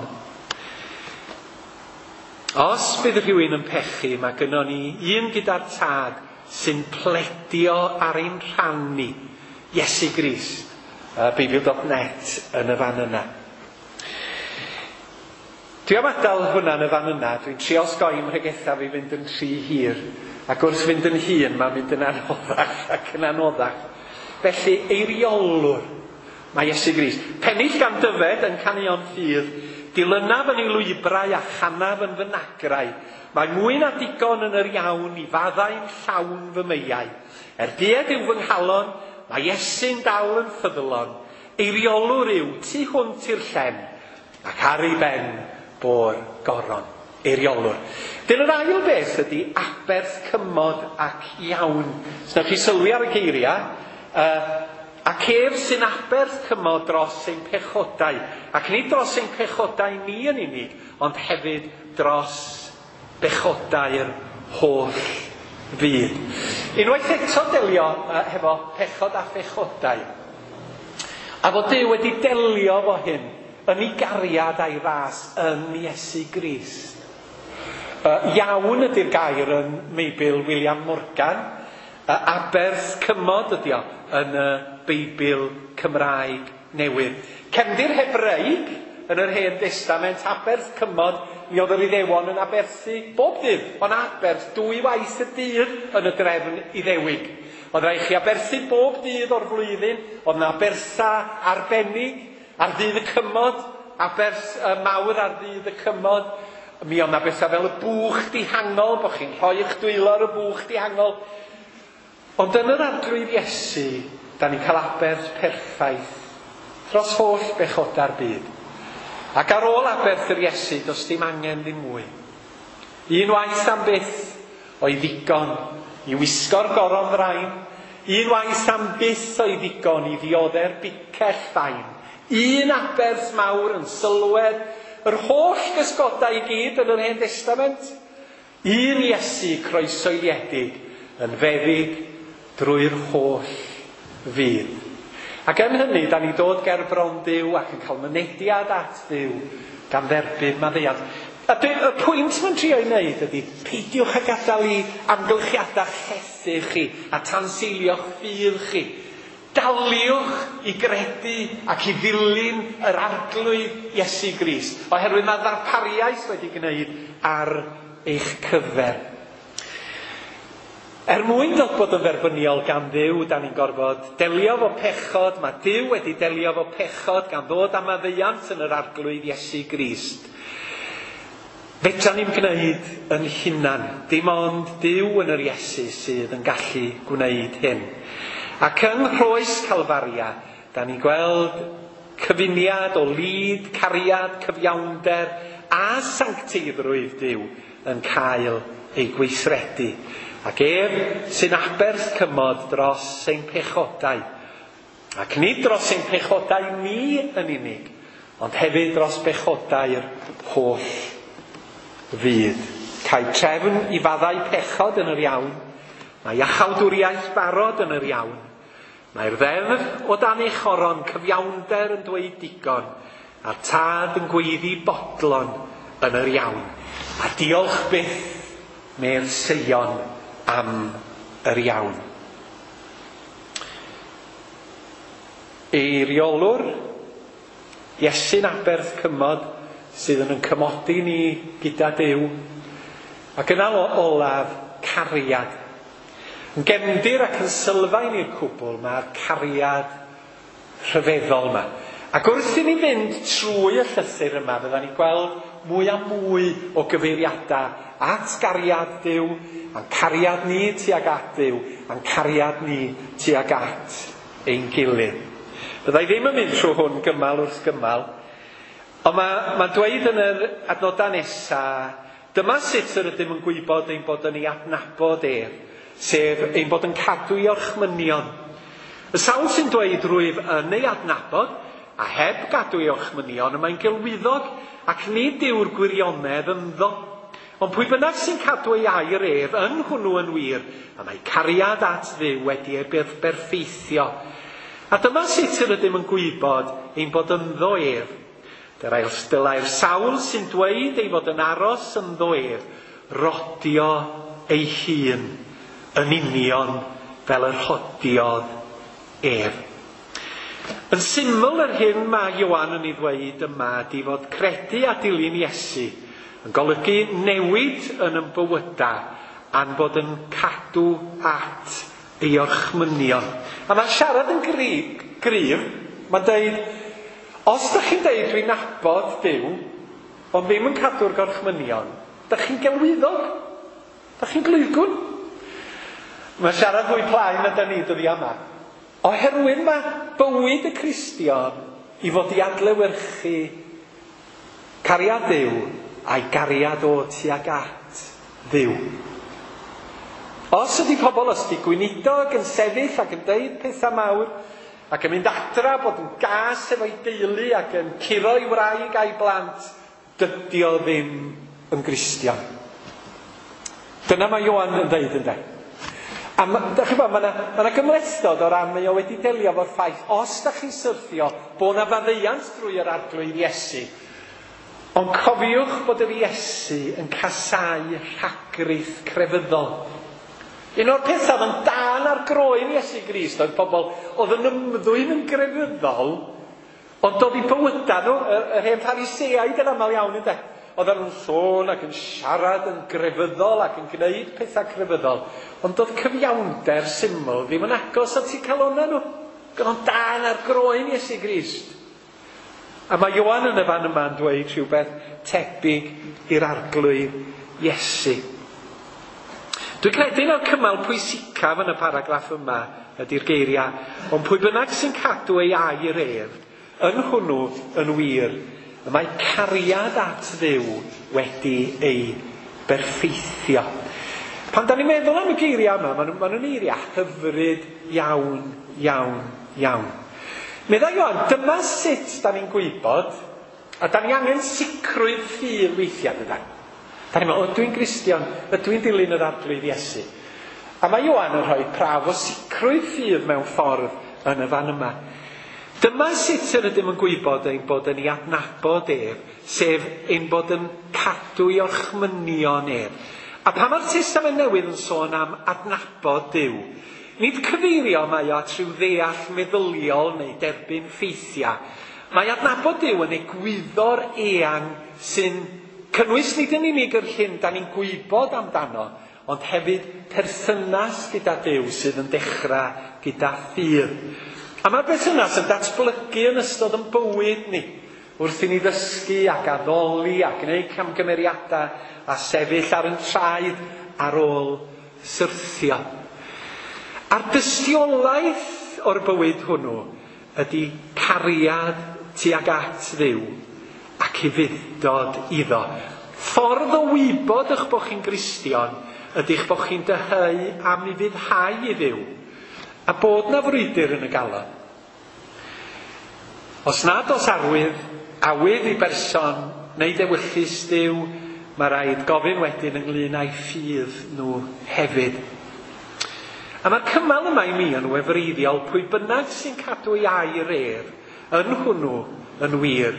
Os bydd rhywun yn pechu, mae gynnon ni un gyda'r Tad sy'n pledio ar ein rhan ni, Iesu Grist, Beibl.net yn y fan yna. Dwi am adael hwnna yn y fan yna, dwi'n trio osgoi mhregetha fi fynd yn rhy hir, ac wrth fynd yn hŷn mae'n mynd yn anoddach ac yn anoddach. Felly, eiriolwr, mae Iesu Grist. Pennill gan Dyfed yn Caneuon Ffydd, dilynaf yn ei lwybrau a chanaf yn fy nagrau. Mae mwy na digon yn yr iawn i faddau'n llawn fy meiau. Er dued yw fy nghalon, mae Iesu'n dal yn ffyddlon. Eiriolwr yw tu hwnt i'r llen, ac ar ei ben bo'r goron. Eiriolwr. Dyn yr ail beth ydy aberth cymod ac iawn. Os newch chi sylwi ar y geiriau, ac ef sy'n aberth cymod dros ein pechodau, ac nid dros ein pechodau ni yn unig, ond hefyd dros bechodau'r holl fyd. Unwaith eto delio hefo pechod a phechodau. A fod Duw wedi delio fo hyn yn ei gariad a'i ras yn Iesu Grist. Iawn ydy'r gair yn Meibl William Morgan. Aberth cymod ydy o yn y Beibl Cymraeg Newydd. Cefndir Hebreig yn yr Hen Destament, aberth cymod, mi oedd yr Iddewon yn aberthu bob dydd. Ond aberth 2 waith y dydd yn y drefn Iddewig. Oedd rhaid chi aberthu bob dydd o'r flwyddyn, oedd yna abertha arbennig ar ddydd y cymod, aberth mawr ar ddydd y cymod. Mi oedd yna bethau fel y bwch dihangol, bod chi'n rhoi eich dwylo ar y bwch dihangol. Ond yn yr Arglwydd Iesu, da ni'n cael aberth perffaith dros holl bechodau'r byd. Ac ar ôl aberth yr Iesu, does dim angen ddim mwy. Un waith am byth o'i ddigon i wisgo'r goron ddrain, un waith am byth o'i ddigon i ddiodde'r bicell fain. Un aberth mawr yn sylwedd yr holl gysgodau i gyd yn yr Hen Destament. Un Iesu croesoeliedig yn feddyg drwy'r holl fyd. Ac yn hynny, da ni dod ger bron Duw ac yn cael mynediad at Dduw gan dderbyn maddeuant. A y pwynt mae'n trio ei wneud ydy, peidiwch â gadael i amgylchiadau llethu chi a tanseilio'ch ffydd chi. Daliwch i gredu ac i ddilyn yr Arglwydd Iesu Grist, oherwydd mae ddarpariaeth wedi gwneud ar eich cyfer. Er mwyn dod bod yn dderbyniol gan Dduw, da ni'n gorfod delio fo pechod. Mae Duw wedi delio fo pechod gan ddod â maddeuant yn yr Arglwydd Iesu Grist. Fedra ni'm gwneud yn hunan, dim ond Duw yn yr Iesu sydd yn gallu gwneud hyn. Ac yng Nghroes Calfaria, da ni'n gweld cyfuniad o lid, cariad, cyfiawnder a sancteiddrwydd Duw yn cael ei gweithredu. Ac ef sy'n aberth cymod dros ein pechodau. Ac nid dros ein pechodau ni yn unig, ond hefyd dros bechodau'r holl fyd. Cael trefn i faddau pechod yn yr iawn, mae iachawdwriaeth barod yn yr iawn. Mae'r ddeddf o dan ei choron cyfiawnder yn dweud digon, a'r tad yn gweiddi bodlon yn yr iawn. A diolch byth medd Seion am yr iawn. Eiriolwr, Iesu'n aberth cymod sydd yn cymodi ni gyda Duw. Ac yna olaf, cariad. Yn gefndir ac yn sylfaen i'r cwbl, mae'r cariad rhyfeddol yma. Ac wrth i ni fynd trwy y llythyr yma, fyddan ni'n gweld mwy a mwy o gyfeiriadau at gariad Duw, a'n cariad ni tuag at Dduw, a'n cariad ni tuag at ein gilydd. Fydda i ddim yn mynd trwy hwn gymal wrth gymal, ond mae'n dweud yn yr adnodau nesaf, dyma sut yr ydym yn gwybod ein bod yn ei adnabod ef, sef ein bod yn cadw ei orchmynion. Y sawl sy'n dweud rwyf yn ei adnabod, a heb gadw ei orchmynion, y mae'n gelwyddog ac nid yw'r gwirionedd ynddo. Ond pwy bynnag sy'n cadw ei air ef, yn hwnnw yn wir, y mae cariad at Dduw wedi ei berffeithio. A dyma sut yr ydym yn gwybod ein bod ynddo ef. Dylai'r sawl sy'n dweud ei fod yn aros ynddo ef, rodio ei hun yn union fel yr rhodiodd ef. Yn syml, yr hyn mae Ioan yn ei ddweud yma ydy fod credu a dilyn Iesu yn golygu newid yn ein bywydau a'n bod yn cadw at ei orchmynion. A mae'n siarad yn gryf, mae'n deud, os ydych chi'n deud dwi'n nabod Duw, ond ddim yn cadw'r gorchmynion, ydych chi'n gelwyddog, ydych chi'n glwygwn. Mae'n siarad fwy plaen na da ni dyddia yma. Oherwydd mae bywyd y Cristion i fod i adlewyrchu cariad Duw a'i gariad o tuag at Dduw. Os ydy pobl, os ydy gweinidog yn sefyll ac yn deud pethau mawr, ac yn mynd adra bod yn gas efo'i deulu ac yn curo ei wraig a'i blant, dydy o ddim yn Gristion. Dyna mae Ioan yn dweud, ynde. A dach chi'n gwbod, mae 'na gymhlethdod o ran mae o wedi delio efo'r ffaith, os dach chi'n syrthio, bod 'na faddeuant drwy yr Arglwydd Iesu. Ond cofiwch bod yr Iesu yn casáu rhagrith crefyddol. Un o'r pethau oedd yn dân ar groen Iesu Grist oedd pobl oedd yn ymddwyn yn grefyddol, ond doedd eu bywydau nhw, yr hen Phariseaid yn aml iawn, ynde? Oedden nhw'n sôn ac yn siarad yn grefyddol ac yn gwneud pethau crefyddol, ond doedd cyfiawnder syml ddim yn agos at eu calonnau nhw. Oedd o'n dân ar groen Iesu Grist. A mae Ioan yn y fan yma'n dweud rhywbeth tebyg i'r Arglwydd Iesu. Dwi'n credu un o'r cymal pwysicaf yn y paragraff yma ydy'r geiriau, ond pwy bynnag sy'n cadw ei air ef, yn hwnnw yn wir, y mae cariad at Dduw wedi ei berffeithio. Pan da ni'n meddwl am y geiriau yma, maen nhw'n eiriau hyfryd iawn, iawn, iawn. Meddai Ioan, dyma sut da ni'n gwybod, a da ni angen sicrwydd ffydd weithiau, dydan. Da ni'n meddwl, ydw i'n Gristion, ydw i'n dilyn yr Arglwydd Iesu. A mae Ioan yn rhoi prawf o sicrwydd ffydd mewn ffordd yn y fan yma. Dyma sut yr ydym yn gwybod ein bod yn ei adnabod ef, sef ein bod yn cadw ei orchmynion ef. A pan mae'r Testament Newydd yn sôn am adnabod Duw, nid cyfeirio mae o at rhyw ddeall meddyliol neu derbyn ffeithiau. Mae adnabod Duw yn egwyddor eang sy'n cynnwys nid yn unig yr hyn da ni'n gwybod amdano, ond hefyd perthynas gyda Duw sydd yn dechrau gyda ffydd. A mae'r berthynas yn datblygu yn ystod yn bywyd ni, wrth i ni ddysgu ac addoli a gwneud camgymeriadau a sefyll ar ein traed ar ôl syrthio. A'r dystiolaeth o'r bywyd hwnnw ydy cariad tuag at Dduw ac ufudd-dod iddo. Ffordd o wybod eich bod chi'n Gristion ydy eich bod chi'n dyheu am ufuddhau i Dduw, a bod na frwydr yn y galon. Os nad oes arwydd, awydd i berson neu dewyllys Duw, mae rhaid gofyn wedyn ynglyn â'i ffydd nhw hefyd. A mae'r cymal yma i mi yn wefreiddiol, pwy bynnag sy'n cadw ei air ef, yn hwnnw yn wir,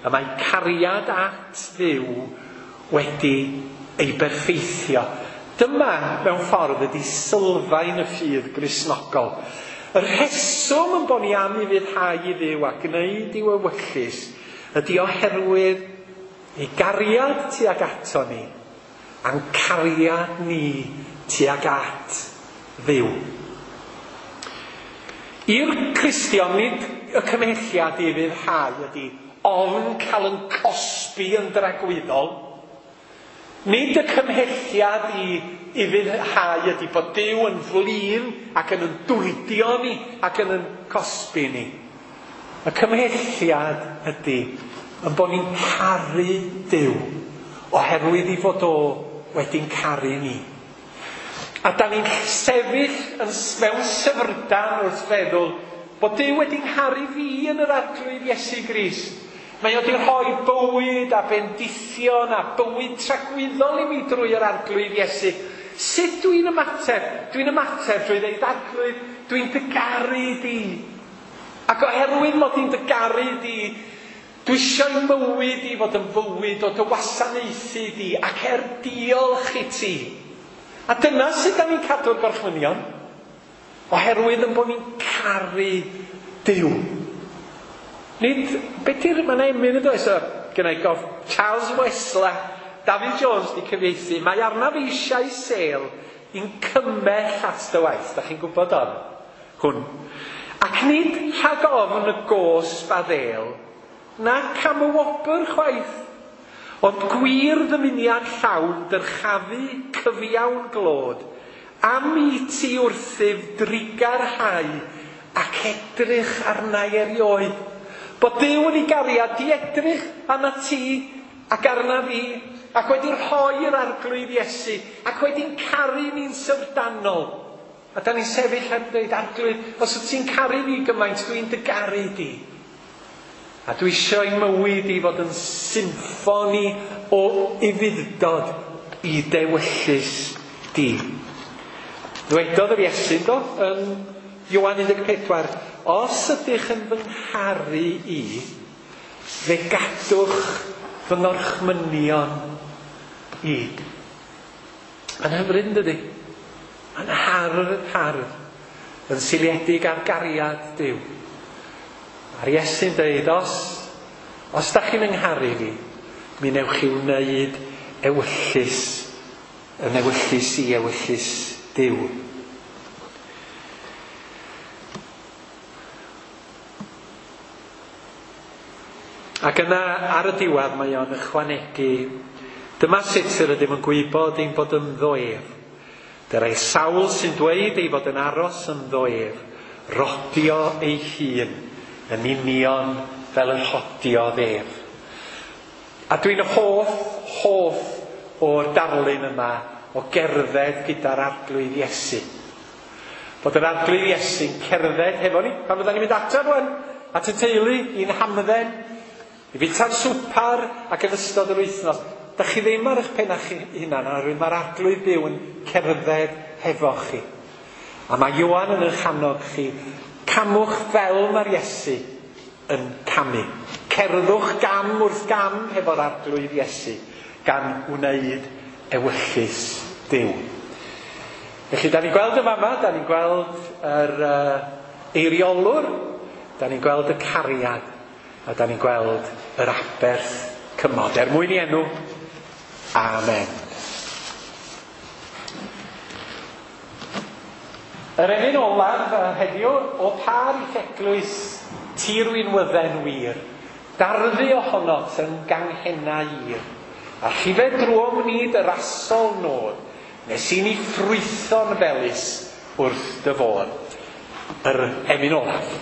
y mae cariad at Dduw wedi ei berffeithio. Dyma, mewn ffordd, ydy sylfaen y ffydd Gristnogol. Y rheswm yn bod ni am ufuddhau i Dduw a gwneud i'w ewyllys ydy oherwydd ei gariad tuag ato ni, a'n cariad ni tuag at Dduw. I'r Cristion, nid y cymhelliad i ufuddhau ydy ofn cael yn cosbi yn dragwyddol. Nid y cymhelliad i ufuddhau ydy bod Duw yn flin ac yn dwrdio ni ac yn cosbi ni. Y cymhelliad ydy yn bod ni'n caru Duw oherwydd i fod o wedi'n caru ni. A da ni'n sefyll mewn syfrdan wrth feddwl bod Duw wedi ngharu fi yn yr Arglwydd Iesu Grist. Mae o wedi rhoi bywyd a bendithion a bywyd tragwyddol i mi drwy yr Arglwydd Iesu. Sut dwi'n ymateb? Dwi'n ymateb drwy ddeud, Arglwydd, dwi'n dy garu di. Ac oherwydd mod i'n dy garu di, dwi eisiau mywyd i fod yn fywyd o dy wasanaethu di ac er diolch i ti. A dyna sut da ni'n cadw'r gorchmynion. Oherwydd yn bod ni'n caru Duw. Nid, beth yw'r, mae'n emyn yn does, gynna i gof, Charles Wesley, David Jones di cyfieithu, mae arnaf eisiau sêl i'n cymell at dy waith. Da chi'n gwybod on? Hwn. Ac nid rhag ofn y gosb a ddêl, nac am y wobr chwaith, ond gwir ddymuniad llawn dyrchafu cyfiawn glod, am i ti wrthyf drigarhau ac edrych arna i erioed. Bod Duw yn ei gariad di edrych arna ti ac arna fi, ac wedi rhoi'r Arglwydd Iesu, ac wedi'n caru ni'n syfrdanol. A da ni'n sefyll heb dweud, Arglwydd, os wyt ti'n caru fi gymaint, dwi'n dy garu di. A dwi eisiau i mywyd i fod yn symffoni o ufudd-dod i dewyllys di. Ddwedodd yr Iesu, do, yn Ioan 14, os ydych yn fy ngharu i, fe gadwch fy ngorchmynion i. Mae'n hyfryd, yn dydi? Mae'n hardd, hardd, yn seiliedig ar gariad Duw. A'r Iesu'n dweud, os da chi'n yngharu fi, mi newch chi wneud ewyllys, yn ewyllys i ewyllys Duw. Ac yna ar y diwedd mae o'n ychwanegu, dyma sut yr ydym yn gwybod ein bod ynddo ef. Dyra'i sawl sy'n dweud ei fod yn aros ynddo ef, rodio ei hun yn union fel yr hodiodd ef. A dwi'n hoff o'r darlun yma o gerdded gyda'r Arglwydd Iesu. Bod yr Arglwydd Iesu'n cerdded hefo ni, pan fyddan ni'n mynd adra rwan, at y teulu, i'n hamdden, i fwyta'r swpar ac yn ystod yr wythnos. Da chi ddim ar eich pennau chi hunan, oherwydd mae'r Arglwydd byw yn cerdded hefo chi. A mae Ioan yn eich annog chi, camwch fel mae'r Iesu yn camu. Cerddwch gam wrth gam hefo'r Arglwydd Iesu, gan wneud ewyllys Duw. Felly, da ni'n gweld y fama, da ni'n gweld yr eiriolwr, da ni'n gweld y cariad, a da ni'n gweld yr aberth cymod. Er mwyn i enw, amen. Yr emyn olaf heddiw, o par i'th eglwys tirwynwydden wir, darddu ohonot yn ganghennau ir, a llifed drwom nid yr asol nod, nes i ni ffrwytho'n felys wrth dy fod. Yr emyn olaf.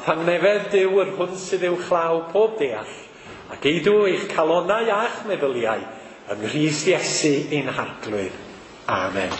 thangnefedd Duw yr hwn sydd uwchlaw pob deall, a geidw eich calonau a'ch meddyliau yng Nghrist Iesu ein Harglwydd. Amen.